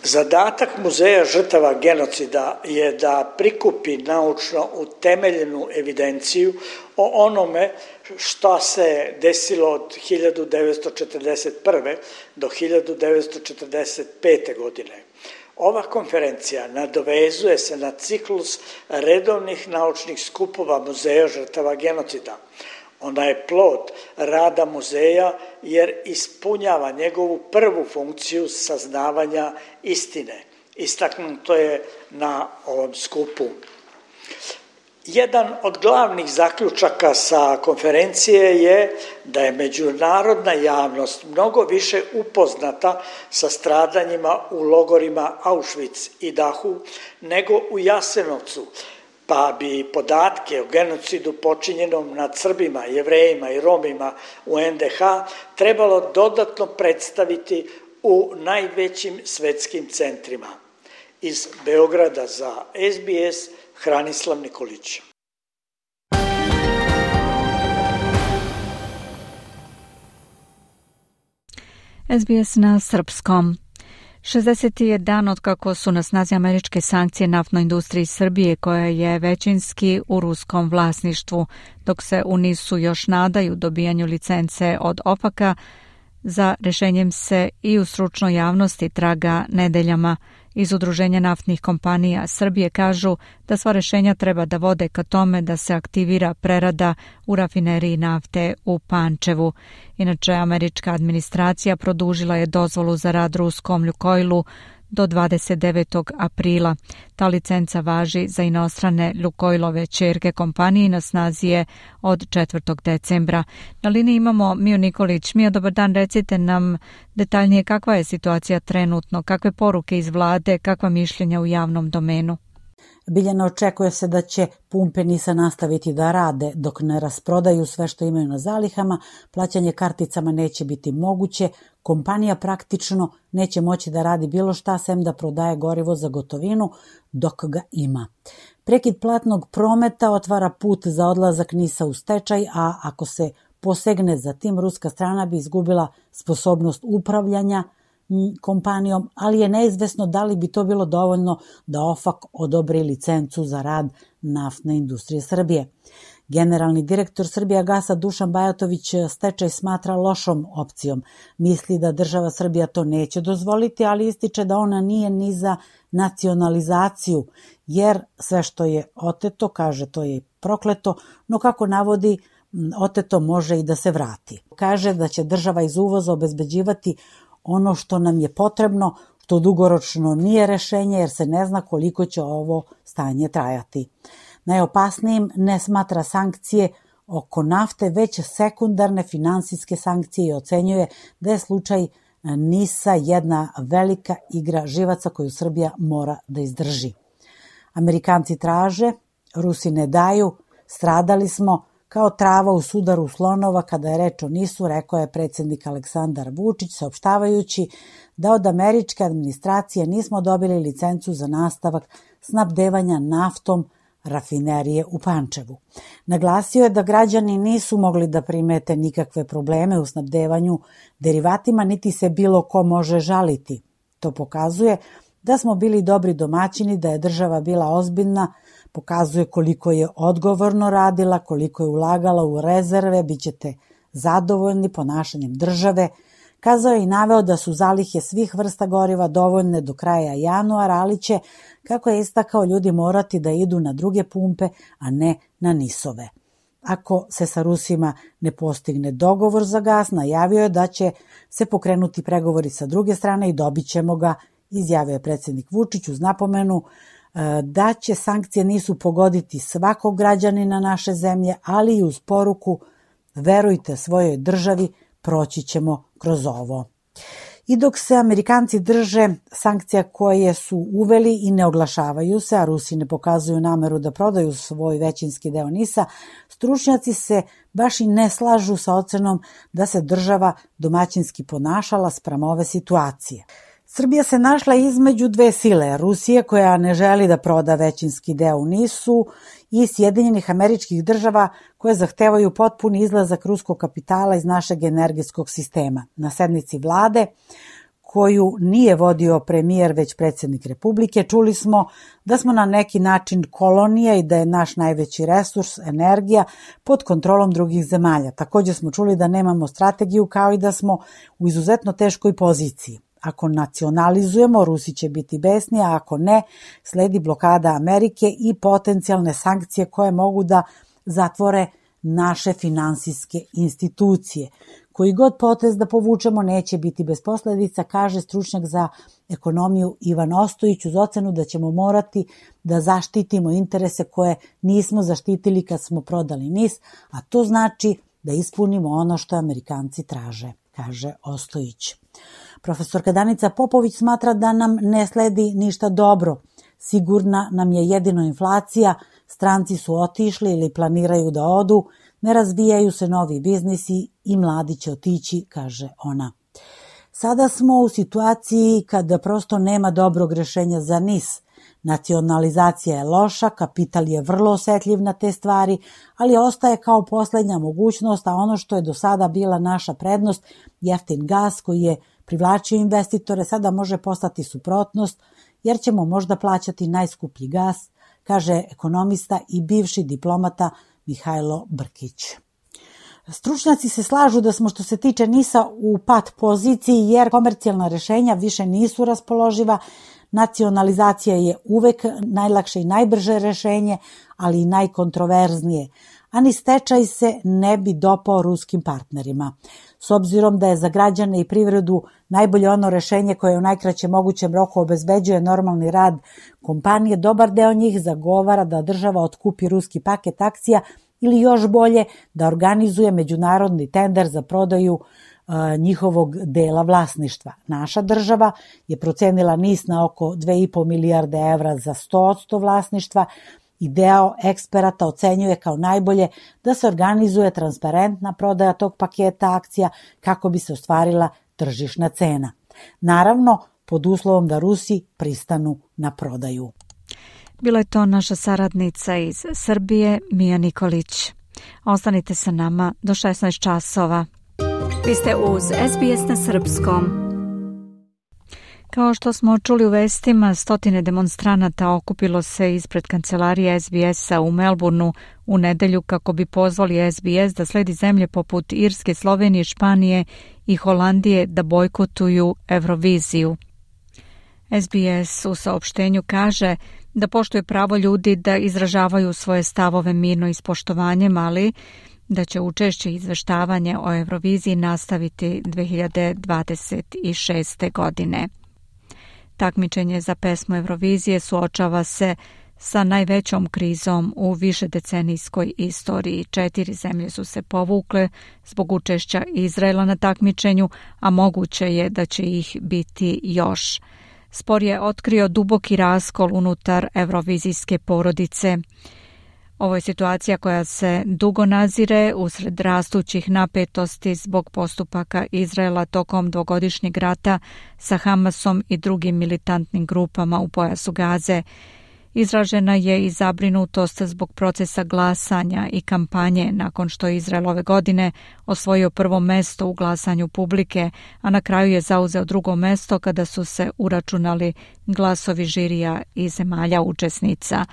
Zadatak Muzeja žrtava genocida je da prikupi naučno utemeljenu evidenciju o onome što se desilo od hiljadu devetsto četrdeset prve do hiljadu devetsto četrdeset pete. godine. Ova konferencija nadovezuje se na ciklus redovnih naučnih skupova Muzeja žrtava genocida. Ona je plod rada muzeja jer ispunjava njegovu prvu funkciju saznavanja istine. Istaknuto je na ovom skupu. Jedan od glavnih zaključaka sa konferencije je da je međunarodna javnost mnogo više upoznata sa stradanjima u logorima Auschwitz i Dachau nego u Jasenovcu, pa bi podatke o genocidu počinjenom nad Srbima, Jevrejima i Romima u en de ha trebalo dodatno predstaviti u najvećim svetskim centrima. Iz Beograda za es be es, Hranislav Nikolić. es be es na srpskom. šezdeseti je dan od kako su na snazi američke sankcije naftnoj industriji Srbije, koja je većinski u ruskom vlasništvu, dok se u nisu još nadaju dobijanju licence od opeka, za rešenjem se i u stručnoj javnosti traga nedeljama. Iz Udruženja naftnih kompanija Srbije kažu da sva rešenja treba da vode ka tome da se aktivira prerada u rafineriji nafte u Pančevu. Inače, američka administracija produžila je dozvolu za rad ruskom Lukoilu do dvadeset devetog aprila. Ta licenca važi za inostrane Lukoilove ćerke kompanije i na snazi je od četvrtog decembra. Na liniji imamo Miju Nikolić. Mija, dobar dan, recite nam detaljnije kakva je situacija trenutno, kakve poruke iz vlade, kakva mišljenja u javnom domenu? Biljana, očekuje se da će pumpe NIS-a nastaviti da rade dok ne rasprodaju sve što imaju na zalihama, plaćanje karticama neće biti moguće, kompanija praktično neće moći da radi bilo šta sem da prodaje gorivo za gotovinu dok ga ima. Prekid platnog prometa otvara put za odlazak NIS-a u stečaj, a ako se posegne za tim, ruska strana bi izgubila sposobnost upravljanja kompanijom, ali je neizvesno da li bi to bilo dovoljno da OFAK odobri licencu za rad naftne industrije Srbije. Generalni direktor Srbijagasa Dušan Bajatović stečaj smatra lošom opcijom. Misli da država Srbija to neće dozvoliti, ali ističe da ona nije ni za nacionalizaciju, jer sve što je oteto, kaže, to je prokleto, no kako navodi, oteto može i da se vrati. Kaže da će država iz uvoza obezbeđivati ono što nam je potrebno, što dugoročno nije rešenje jer se ne zna koliko će ovo stanje trajati. Najopasnijim ne smatra sankcije oko nafte, već sekundarne finansijske sankcije i ocenjuje da je slučaj NIS-a jedna velika igra živaca koju Srbija mora da izdrži. Amerikanci traže, Rusi ne daju, stradali smo kao trava u sudaru slonova kada je reč o NIS-u, rekao je predsjednik Aleksandar Vučić, saopštavajući da od američke administracije nismo dobili licencu za nastavak snabdevanja naftom rafinerije u Pančevu. Naglasio je da građani nisu mogli da primete nikakve probleme u snabdevanju derivatima, niti se bilo ko može žaliti. To pokazuje da smo bili dobri domaćini, da je država bila ozbiljna, pokazuje koliko je odgovorno radila, koliko je ulagala u rezerve, bit ćete zadovoljni ponašanjem države. Kazao je i naveo da su zalihe svih vrsta goriva dovoljne do kraja januara, ali će, kako je istakao, ljudi morati da idu na druge pumpe, a ne na NIS-ove. Ako se sa Rusima ne postigne dogovor za gas, najavio je da će se pokrenuti pregovori sa druge strane i dobit ćemo ga, izjavio je predsjednik Vučić uz napomenu da će sankcije nisu pogoditi svakog građanina naše zemlje, ali i uz poruku verujte svojoj državi, proći ćemo kroz ovo. I dok se Amerikanci drže sankcija koje su uveli i ne oglašavaju se, a Rusi ne pokazuju nameru da prodaju svoj većinski deo NIS-a, stručnjaci se baš i ne slažu sa ocenom da se država domaćinski ponašala spram ove situacije. Srbija se našla između dve sile, Rusije koja ne želi da proda većinski deo u Nisu i Sjedinjenih Američkih Država koje zahtevaju potpuni izlazak ruskog kapitala iz našeg energetskog sistema. Na sednici vlade, koju nije vodio premijer već predsjednik Republike, čuli smo da smo na neki način kolonija i da je naš najveći resurs, energija, pod kontrolom drugih zemalja. Također smo čuli da nemamo strategiju kao i da smo u izuzetno teškoj poziciji. Ako nacionalizujemo, Rusi će biti besni, a ako ne, sledi blokada Amerike i potencijalne sankcije koje mogu da zatvore naše finansijske institucije. Koji god potez da povučemo neće biti bez posledica, kaže stručnjak za ekonomiju Ivan Ostojić, uz ocenu da ćemo morati da zaštitimo interese koje nismo zaštitili kad smo prodali N I S, a to znači da ispunimo ono što Amerikanci traže, kaže Ostojić. Profesorka Danica Popović smatra da nam ne sledi ništa dobro. Sigurna nam je jedino inflacija, stranci su otišli ili planiraju da odu, ne razvijaju se novi biznisi i mladi će otići, kaže ona. Sada smo u situaciji kada prosto nema dobrog rešenja za N I S. Nacionalizacija je loša, kapital je vrlo osetljiv na te stvari, ali ostaje kao poslednja mogućnost, a ono što je do sada bila naša prednost, jeftin gas koji je privlačio investitore, sada može postati suprotnost, jer ćemo možda plaćati najskuplji gas, kaže ekonomista i bivši diplomata Mihajlo Brkić. Stručnjaci se slažu da smo što se tiče N I S-a u pat poziciji jer komercijalna rešenja više nisu raspoloživa, nacionalizacija je uvek najlakše i najbrže rešenje, ali i najkontroverznije, a ni stečaj se ne bi dopao ruskim partnerima. S obzirom da je za građane i privredu najbolje ono rešenje koje u najkraćem mogućem roku obezbeđuje normalni rad kompanije, dobar deo njih zagovara da država otkupi ruski paket akcija ili još bolje da organizuje međunarodni tender za prodaju a, njihovog dela vlasništva. Naša država je procenila N I S na oko dve i po milijarde evra za sto posto vlasništva i deo eksperata ocenjuje kao najbolje da se organizuje transparentna prodaja tog paketa akcija kako bi se ostvarila tržišna cena. Naravno, pod uslovom da Rusi pristanu na prodaju. Bila je to naša saradnica iz Srbije, Mija Nikolić. Ostanite sa nama do šesnaest časova. Vi ste uz S B S na srpskom. Kao što smo čuli u vestima, stotine demonstranata okupilo se ispred kancelarije S B S-a u Melbourneu u nedelju kako bi pozvali S B S da sledi zemlje poput Irske, Slovenije, Španije i Holandije da bojkotuju Euroviziju. S B S u saopštenju kaže da poštuje pravo ljudi da izražavaju svoje stavove mirno i s poštovanjem, ali da će učešće i izveštavanje o Euroviziji nastaviti dve hiljade dvadeset šeste. godine. Takmičenje za pesmu Eurovizije suočava se sa najvećom krizom u višedecenijskoj istoriji. Četiri zemlje su se povukle zbog učešća Izraela na takmičenju, a moguće je da će ih biti još. Spor je otkrio duboki raskol unutar eurovizijske porodice. Ovo je situacija koja se dugo nazire usred rastućih napetosti zbog postupaka Izraela tokom dvogodišnjeg rata sa Hamasom i drugim militantnim grupama u pojasu Gaze. Izražena je i zabrinutost zbog procesa glasanja i kampanje nakon što je Izrael ove godine osvojio prvo mesto u glasanju publike, a na kraju je zauzeo drugo mesto kada su se uračunali glasovi žirija i zemalja učesnica.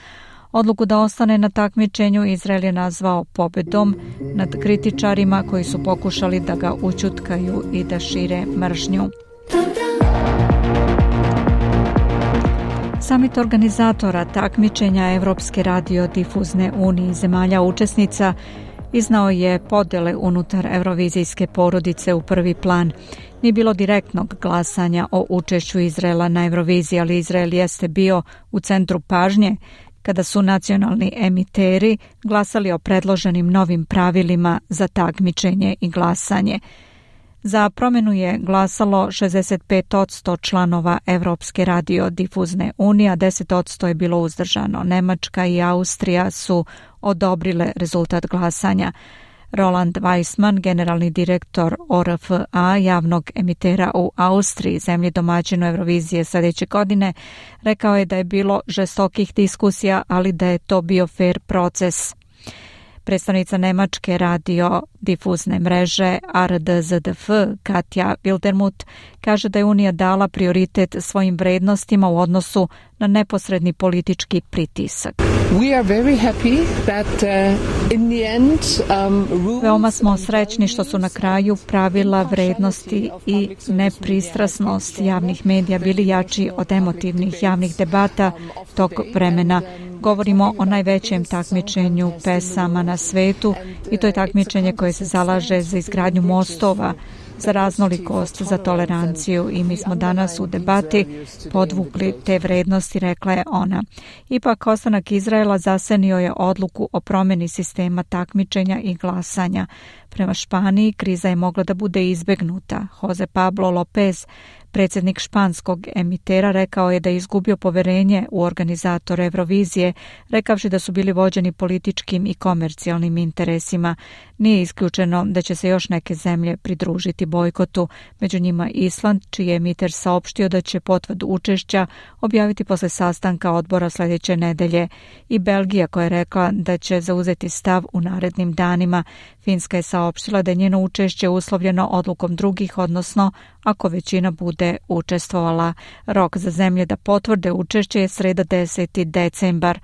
Odluku da ostane na takmičenju Izrael je nazvao pobedom nad kritičarima koji su pokušali da ga ućutkaju i da šire mržnju. Samit organizatora takmičenja Evropske radiodifuzne unije zemalja učesnica iznao je podele unutar eurovizijske porodice u prvi plan. Nije bilo direktnog glasanja o učešću Izraela na Euroviziji, ali Izrael jeste bio u centru pažnje kada su nacionalni emiteri glasali o predloženim novim pravilima za takmičenje i glasanje. Za promjenu je glasalo šezdeset pet posto članova Evropske radiodifuzne unije, a deset posto je bilo uzdržano. Nemačka i Austrija su odobrile rezultat glasanja. Roland Weissman, generalni direktor O R F A, javnog emitera u Austriji, zemlji domaćinu Eurovizije sljedeće godine, rekao je da je bilo žestokih diskusija, ali da je to bio fair proces. Predstavnica Nemačke radio difuzne mreže R D Z D F, Katja Wildermuth, kaže da je Unija dala prioritet svojim vrednostima u odnosu na neposredni politički pritisak. We are very happy that, uh, in the end, um, rules... Veoma smo srećni što su na kraju pravila, vrednosti i nepristrasnost javnih medija bili jači od emotivnih javnih debata tog vremena. Govorimo o najvećem takmičenju pesama na svetu i to je takmičenje koje se zalaže za izgradnju mostova, za raznolikost, za toleranciju i mi smo danas u debati podvukli te vrednosti, rekla je ona. Ipak, ostanak Izraela zasenio je odluku o promjeni sistema takmičenja i glasanja. Prema Španiji, kriza je mogla da bude izbegnuta. Jose Pablo Lopez, predsjednik španskog emitera, rekao je da je izgubio poverenje u organizatore Eurovizije, rekavši da su bili vođeni političkim i komercijalnim interesima. Nije isključeno da će se još neke zemlje pridružiti bojkotu, među njima Island, čiji je emiter saopštio da će potvrdu učešća objaviti posle sastanka odbora sljedeće nedelje, i Belgija, koja je rekla da će zauzeti stav u narednim danima. Finska je saopštila da je njeno učešće uslovljeno odlukom drugih, odnosno ako većina bude učestvovala. Rok za zemlje da potvrde učešće je sreda deseti decembar.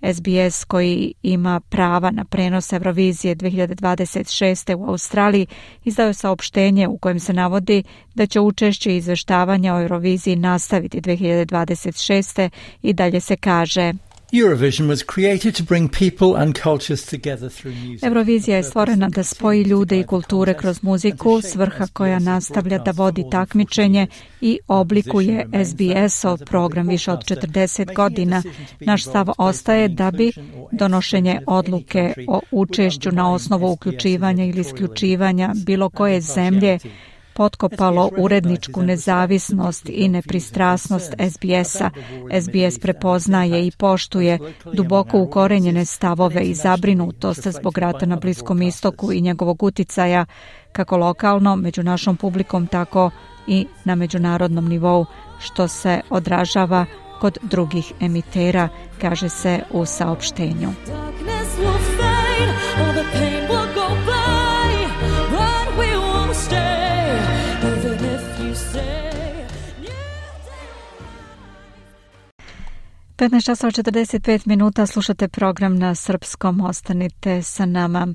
S B S, koji ima prava na prenos Eurovizije dve hiljade dvadeset šeste u Australiji, izdao je saopštenje u kojem se navodi da će učešće i izveštavanja o Euroviziji nastaviti dve hiljade dvadeset šeste i dalje se kaže: Eurovision was created to bring people and cultures together through music. Eurovizija je stvorena da spoji ljude i kulture kroz muziku, svrha koja nastavlja da vodi takmičenje i oblikuje S B S-ov program više od četrdeset godina. Naš stav ostaje da bi donošenje odluke o učešću na osnovu uključivanja ili isključivanja bilo koje zemlje potkopalo uredničku nezavisnost i nepristrasnost S B S-a. S B S prepoznaje i poštuje duboko ukorenjene stavove i zabrinutost zbog rata na Bliskom istoku i njegovog uticaja, kako lokalno među našom publikom, tako i na međunarodnom nivou, što se odražava kod drugih emitera, kaže se u saopštenju. petnaest časova četrdeset pet minuta, slušate program na srpskom, ostanite sa nama.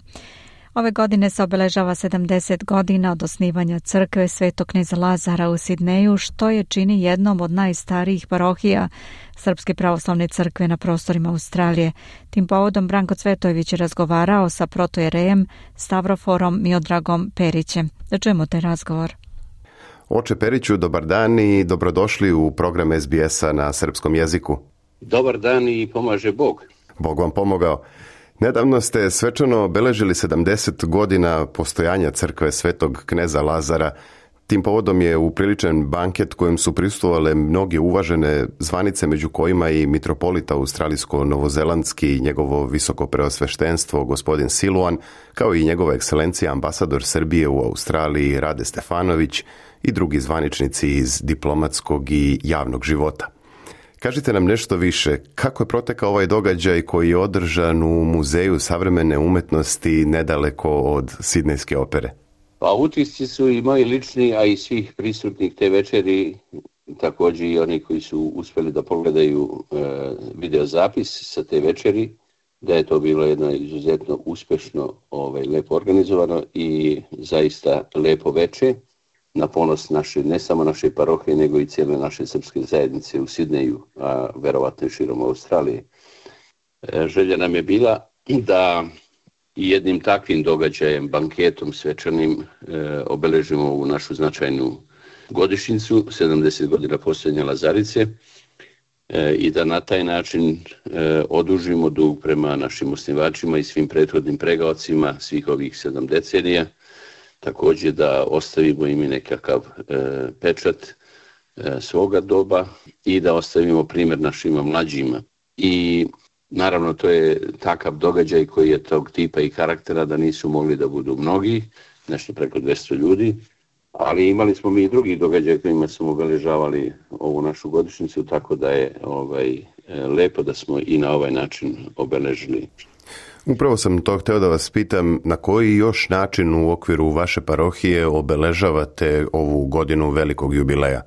Ove godine se obeležava sedamdeset godina od osnivanja crkve Svetog kneza Lazara u Sidneju, što je čini jednom od najstarijih parohija Srpske pravoslavne crkve na prostorima Australije. Tim povodom Branko Cvetojević je razgovarao sa protojerejem Stavroforom Miodragom Perićem. Da čujemo taj razgovor. Oče Periću, dobar dan i dobrodošli u program S B S-a na srpskom jeziku. Dobar dan i pomaže Bog. Bog vam pomogao. Nedavno ste svečano obeležili sedamdeset godina postojanja crkve Svetog kneza Lazara. Tim povodom je upriličen banket kojem su prisustvovale mnoge uvažene zvanice, među kojima i mitropolita australijsko-novozelandski i njegovo visoko preosveštenstvo gospodin Siluan, kao i njegova ekscelencija ambasador Srbije u Australiji Rade Stefanović i drugi zvaničnici iz diplomatskog i javnog života. Kažite nam nešto više, kako je protekao ovaj događaj koji je održan u Muzeju savremene umetnosti nedaleko od Sidnejske opere? Pa utisci su i moji lični, a i svih prisutnih te večeri, također i oni koji su uspjeli da pogledaju e, videozapis sa te večeri, da je to bilo jedno izuzetno uspješno, ovaj, lepo organizovano i zaista lepo veče, na ponos naše, ne samo naše parohije, nego i cijele naše srpske zajednice u Sidneju, a verovatno i širom Australije. E, želja nam je bila da jednim takvim događajem, banketom svečanim, e, obeležimo ovu našu značajnu godišnjicu, sedamdeset godina postojanja Lazarice, e, i da na taj način e, odužimo dug prema našim osnivačima i svim prethodnim pregaocima svih ovih sedam decenija. Također da ostavimo im nekakav e, pečat e, svoga doba i da ostavimo primjer našima mlađima. I Naravno, to je takav događaj koji je tog tipa i karaktera da nisu mogli da budu mnogi, nešto preko dvjesto ljudi, ali imali smo mi i drugi događaj kojima smo obeležavali ovu našu godišnjicu, tako da je ovaj, lepo da smo i na ovaj način obeležili. Upravo sam to hteo da vas pitam, na koji još način u okviru vaše parohije obeležavate ovu godinu velikog jubileja?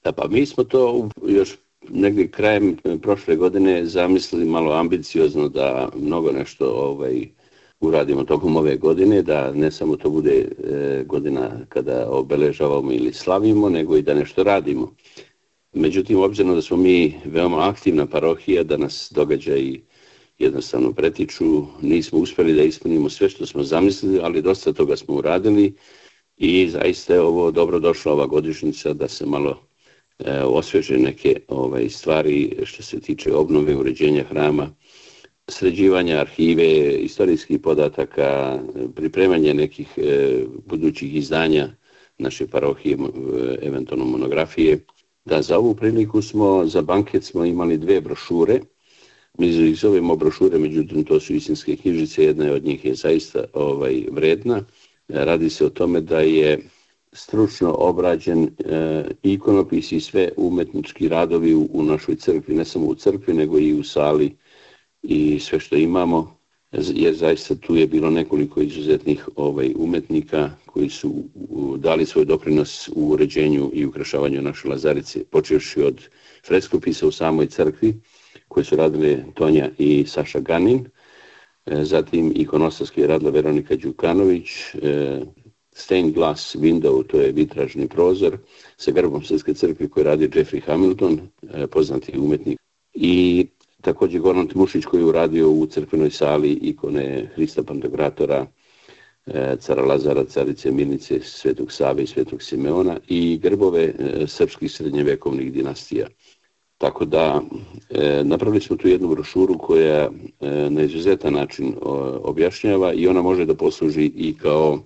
Da, pa mi smo to još negdje krajem prošle godine zamislili malo ambiciozno da mnogo nešto ovaj, uradimo tokom ove godine, da ne samo to bude e, godina kada obeležavamo ili slavimo, nego i da nešto radimo. Međutim, obzirom da smo mi veoma aktivna parohija, da nas događaji jednostavno pretiču, nismo uspjeli da ispunimo sve što smo zamislili, ali dosta toga smo uradili i zaista je ovo dobro došla ova godišnjica da se malo e, osvježe neke ovaj, stvari što se tiče obnove, uređenja hrama, sređivanja arhive, istorijskih podataka, pripremanje nekih e, budućih izdanja naše parohije, e, eventualno monografije. Da za ovu priliku smo, za banket smo imali dve brošure. Mi ih zovemo brošure, međutim to su istinske knjižice, jedna od njih je zaista ovaj, vredna. Radi se o tome da je stručno obrađen e, ikonopis i sve umetnički radovi u, u našoj crkvi, ne samo u crkvi nego i u sali i sve što imamo, jer zaista tu je bilo nekoliko izuzetnih ovaj, umetnika koji su dali svoj doprinos u uređenju i ukrašavanju naše Lazarice, počevši od freskopisa u samoj crkvi, koje su radile Tonja i Saša Ganin, zatim ikonostarski je radila Veronika Đukanović, stained glass window, to je vitražni prozor, sa grbom Srpske crkve koji radi Jeffrey Hamilton, poznati umetnik, i također Goran Tmušić koji je uradio u crkvenoj sali ikone Hrista Pantokratora, cara Lazara, carice Milice, Svetog Save i Svetog Simeona i grbove srpskih srednjevekovnih dinastija. Tako da e, napravili smo tu jednu brošuru koja e, na izuzetan način o, objašnjava i ona može da posluži i kao,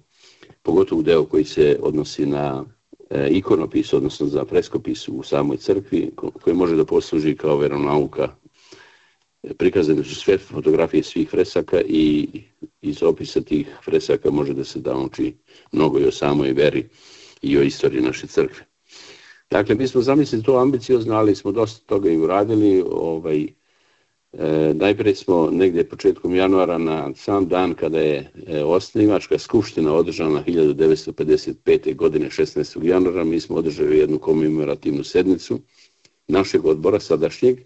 pogotovo deo koji se odnosi na e, ikonopis, odnosno za freskopis u samoj crkvi, ko, koji može da posluži kao veronauka. Prikazane su sve fotografije svih fresaka i iz opisa tih fresaka može da se nauči mnogo i o samoj veri i o istoriji naše crkve. Dakle, mi smo zamislili to ambiciozno, ali smo dosta toga i uradili. Ovaj, e, najprije smo negdje početkom januara na sam dan kada je e, osnivačka skupština održana hiljadu devetsto pedeset pete. godine šesnaestog januara, mi smo održali jednu komemorativnu sednicu našeg odbora sadašnjeg,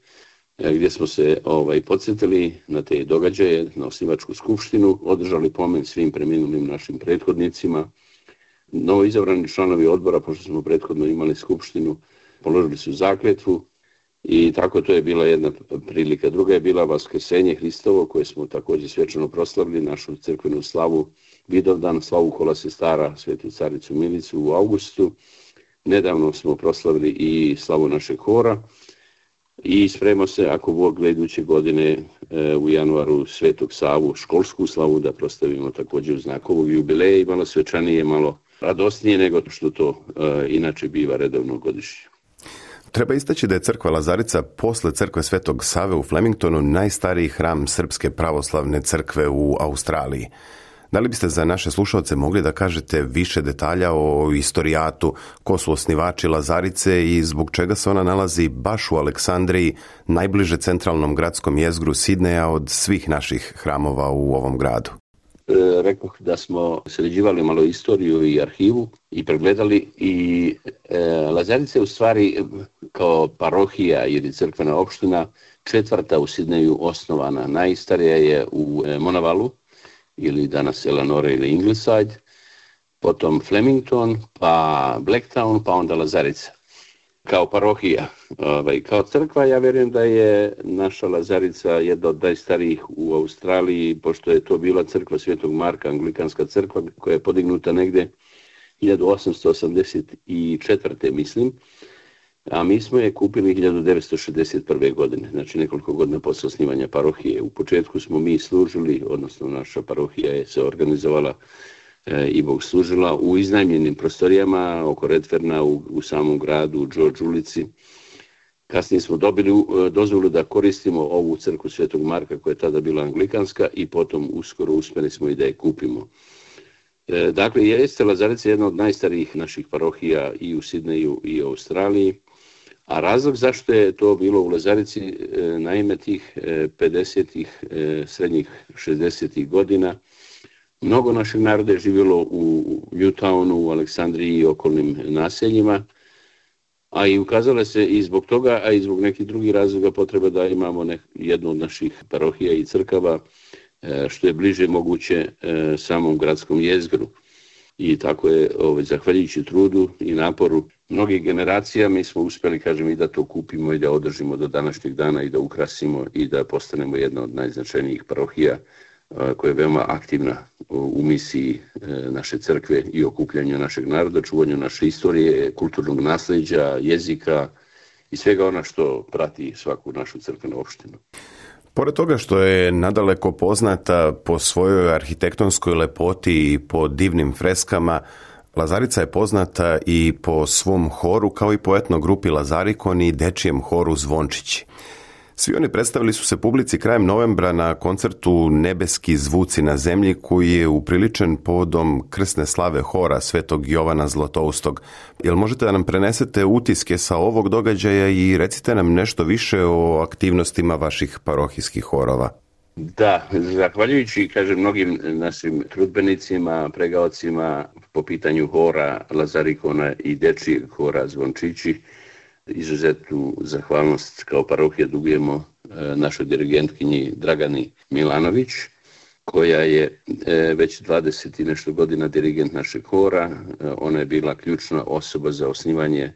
e, gdje smo se ovaj, podsjetili na te događaje, na osnivačku skupštinu, održali pomen svim preminulim našim prethodnicima. Novo izabrani članovi odbora, pošto smo prethodno imali skupštinu, položili su zakletvu i tako to je bila jedna prilika. Druga je bila Vaskrsenje Hristovo, koje smo također svečano proslavili, našu crkvenu slavu Vidovdan, slavu kola sestara Svetu caricu Milicu u augustu. Nedavno smo proslavili i slavu našeg hora i spremamo se, ako Bog gleda, iduće godine e, u januaru Svetog Savu, školsku slavu da proslavimo također u znak ovog jubileja i malo svečanije, malo radosnije nego što to e, inače biva redovno godišnje. Treba istaći da je crkva Lazarica posle crkve Svetog Save u Flemingtonu najstariji hram Srpske pravoslavne crkve u Australiji. Da li biste za naše slušalce mogli da kažete više detalja o istorijatu, ko su osnivači Lazarice i zbog čega se ona nalazi baš u Aleksandriji, najbliže centralnom gradskom jezgru Sidneja od svih naših hramova u ovom gradu? E, rekoh da smo sređivali malo istoriju i arhivu i pregledali i e, Lazarica je u stvari kao parohija ili crkvena opština četvrta u Sidneju osnovana. Najstarija je u e, Monavalu, ili danas Eleanore ili Ingleside, potom Flemington, pa Blacktown, pa onda Lazarica. Kao parohija, ovaj, kao crkva, ja vjerujem da je naša Lazarica jedna od najstarijih u Australiji, pošto je to bila crkva Svetog Marka, anglikanska crkva, koja je podignuta negde hiljadu osamsto osamdeset četvrte. mislim, a mi smo je kupili hiljadu devetsto šezdeset prve. godine, znači nekoliko godina posle osnivanja parohije. U početku smo mi služili, odnosno naša parohija je se organizovala e, i Bog služila u iznajmljenim prostorijama oko Redferna, u, u samom gradu, u George ulici. Kasnije smo dobili dozvolu da koristimo ovu crkvu Svetog Marka koja je tada bila anglikanska i potom uskoro uspjeli smo i da je kupimo. Dakle, jeste Lazarica jedna od najstarijih naših parohija i u Sidneju i u Australiji, a razlog zašto je to bilo u Lazarici, naime tih pedesetih, srednjih šezdesetih godina, mnogo našeg naroda je živjelo u Newtownu, u Aleksandriji i okolnim naseljima, a i ukazalo se i zbog toga, a i zbog nekih drugih razloga potreba da imamo nek, jednu od naših parohija i crkava što je bliže moguće samom gradskom jezgru. I tako je, ovaj, zahvaljujući trudu i naporu mnogih generacija, mi smo uspjeli, kažem, i da to kupimo i da održimo do današnjeg dana i da ukrasimo i da postanemo jedna od najznačajnijih parohija koja je veoma aktivna u misiji naše crkve i okupljanju našeg naroda, čuvanju naše istorije, kulturnog nasljeđa, jezika i svega ona što prati svaku našu crkvenu opštinu. Pored toga što je nadaleko poznata po svojoj arhitektonskoj lepoti i po divnim freskama, Lazarica je poznata i po svom horu, kao i po etno grupi Lazarikon i dečijem horu Zvončići. Svi oni predstavili su se publici krajem novembra na koncertu Nebeski zvuci na zemlji, koji je upriličen povodom krsne slave hora Svetog Jovana Zlatoustog. Jel možete da nam prenesete utiske sa ovog događaja i recite nam nešto više o aktivnostima vaših parohijskih horova? Da, zahvaljujući, kažem, mnogim našim trudbenicima, pregaocima po pitanju hora Lazarikona i dečijeg hora Zvončići, izuzetnu zahvalnost kao parohija dugujemo našoj dirigentkinji Dragani Milanović, koja je već dvadeset i nešto godina dirigent našeg hora. Ona je bila ključna osoba za osnivanje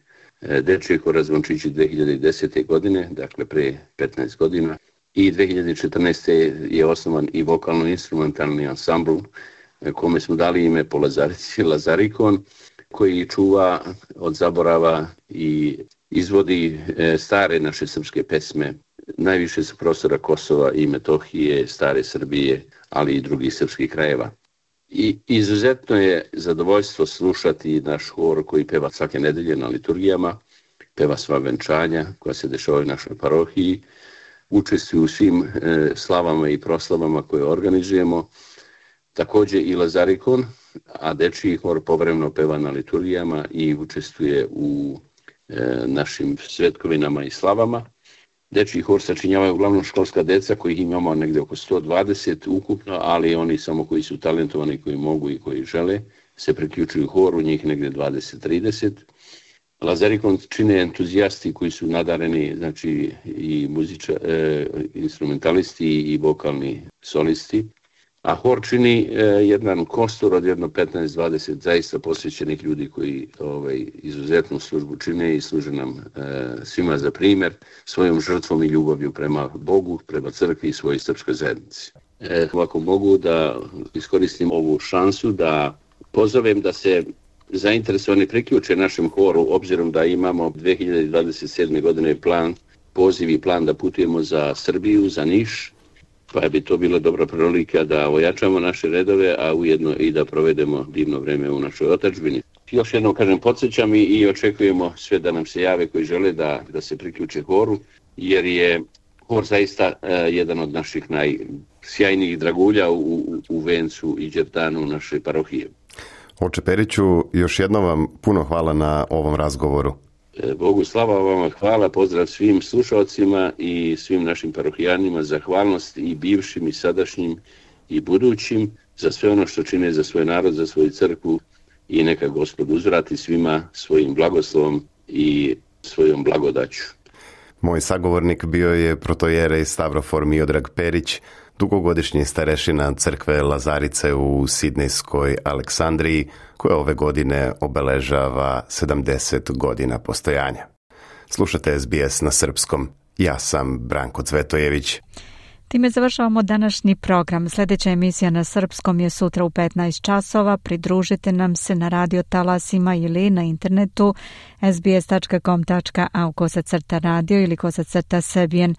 dečijeg hora Zvončići dvije hiljade desete. godine, dakle pre petnaest godina. I dvije hiljade četrnaeste. je osnovan i vokalno-instrumentalni ansambl kome smo dali ime po Lazarici, Lazarikon, koji čuva od zaborava i izvodi stare naše srpske pesme, najviše sa prostora Kosova i Metohije, stare Srbije, ali i drugih srpskih krajeva. I izuzetno je zadovoljstvo slušati naš hor koji peva svake nedelje na liturgijama, peva sva venčanja koja se dešavaju u našoj parohiji, učestvuju u svim e, slavama i proslavama koje organizujemo, također i Lazarikon, a dečiji hor povremeno peva na liturgijama i učestvuje u e, našim svetkovinama i slavama. Dečiji hor sačinjavaju uglavnom školska deca, kojih imamo negdje oko sto dvadeset ukupno, ali oni samo koji su talentovani, koji mogu i koji žele, se priključuju horu, njih negdje dvadeset do trideset. Lazarikon čine entuzijasti koji su nadareni, znači i muziča, e, instrumentalisti i vokalni solisti. A hor čini e, jedan kostur od jedno petnaest do dvadeset zaista posvećenih ljudi koji ovaj, izuzetnu službu čine i služe nam e, svima za primjer svojom žrtvom i ljubavlju prema Bogu, prema crkvi i svojoj srpskoj zajednici. E, ako mogu da iskoristim ovu šansu da pozovem da se zainteresovani priključe našem horu, obzirom da imamo dvije hiljade dvadeset sedme. godine plan, poziv i plan da putujemo za Srbiju, za Niš, pa bi to bila dobra prilika da ojačamo naše redove, a ujedno i da provedemo divno vreme u našoj otadžbini. Još jednom kažem, podsjećam i, i očekujemo sve da nam se jave koji žele da, da se priključe horu, jer je hor zaista uh, jedan od naših najsjajnijih dragulja u, u, u vencu i đerdanu naše parohije. Oče Periću, još jednom vam puno hvala na ovom razgovoru. Bogu slava, vama hvala, pozdrav svim slušalcima i svim našim parohijanima, zahvalnost i bivšim i sadašnjim i budućim za sve ono što čine za svoj narod, za svoju crkvu i neka Gospod uzvrati svima svojim blagoslovom i svojom blagodaću. Moj sagovornik bio je protojerej Stavrofor Miodrag Perić, dugogodišnji starešina crkve Lazarice u sidnejskoj Aleksandriji, koja ove godine obeležava sedamdeset godina postojanja. Slušate S B S na srpskom. Ja sam Branko Cvetojević. Time završavamo današnji program. Sljedeća emisija na srpskom je sutra u petnaest časova. Pridružite nam se na radio talasima ili na internetu es be es tačka com tačka a u kosacrta radio ili kosacrta Serbian.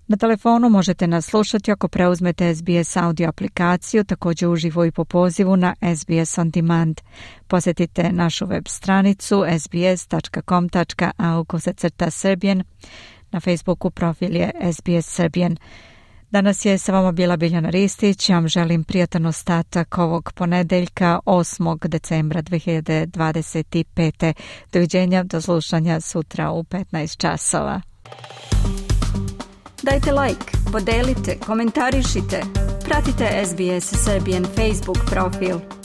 Na telefonu možete nas slušati ako preuzmete S B S audio aplikaciju, također uživo i po pozivu na S B S On Demand. Posjetite našu web stranicu s b s dot com dot a u kosacrta Serbian. Na Facebooku profil je S B S Serbian. Danas je sa vama bila Biljana Ristić. Ja vam želim prijatan ostatak ovog ponedeljka osmog decembra dve hiljade dvadeset pete. Doviđenja, do slušanja sutra u petnaest časova. Dajte like, podelite, komentarišite. Pratite S B S Serbian Facebook profil.